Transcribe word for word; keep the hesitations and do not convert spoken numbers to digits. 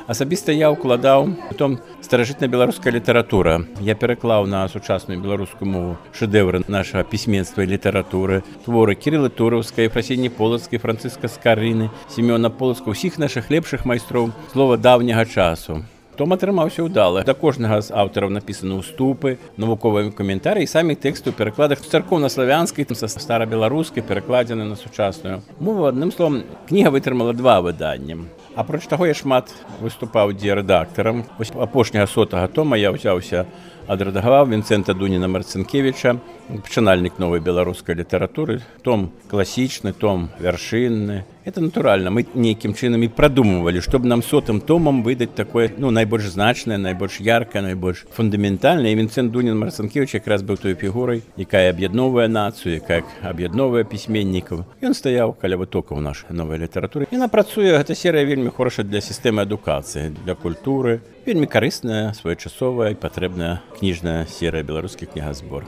Асабіста я ўкладаў у том старажытная беларуская літаратура. Я пераклаў на сучасную беларускую мову шэдэвры нашага пісьменства і літаратуры, творы Кірылы Тураўскай, Ефрасіні Полацкай, Францыска Скарыны, Семёна Полацка, усіх нашых лепшых майстроў слова даўняга часу. Том атрымаўся ўдала. Да кожнага з аўтараў напісаны ўступы, навуковыя каментарыі, самі тэксты ў перакладах царкоўна-славянскай, са старабеларускай, перакладзены на сучасную мову. Адным словам, кніга вытрымала два выданні. Апроч таго, я шмат выступаў дзе рэдактарам. Вось апошняга сотага тома я ўзяўся адрэдагаваў Вінцэнта Дуніна-Марцінкевіча, пачынальнік новай беларускай літаратуры. Том класічны, том вяршынны. Это натуральна. Мы нейкім чынам і прадумывалі, што б нам сотым томам выдаць такое, ну, найбольш значнае, найбольш яркае, найбольш фундаментальнае. І Вінцэнт Дунін-Марцінкевіч якраз быў той фігурай, якая аб'ядноўвае нацыю, якая аб'ядноўвае пісьменнікаў. Ён стаяў каля вытокаў нашай новай літаратуры. Яна працуе, гэта серыя вельмі хорошая для сістэмы адукацыі, для культуры. Вельмі карысная, своечасовая і патрэбная кніжная серыя беларускі кнігазбор.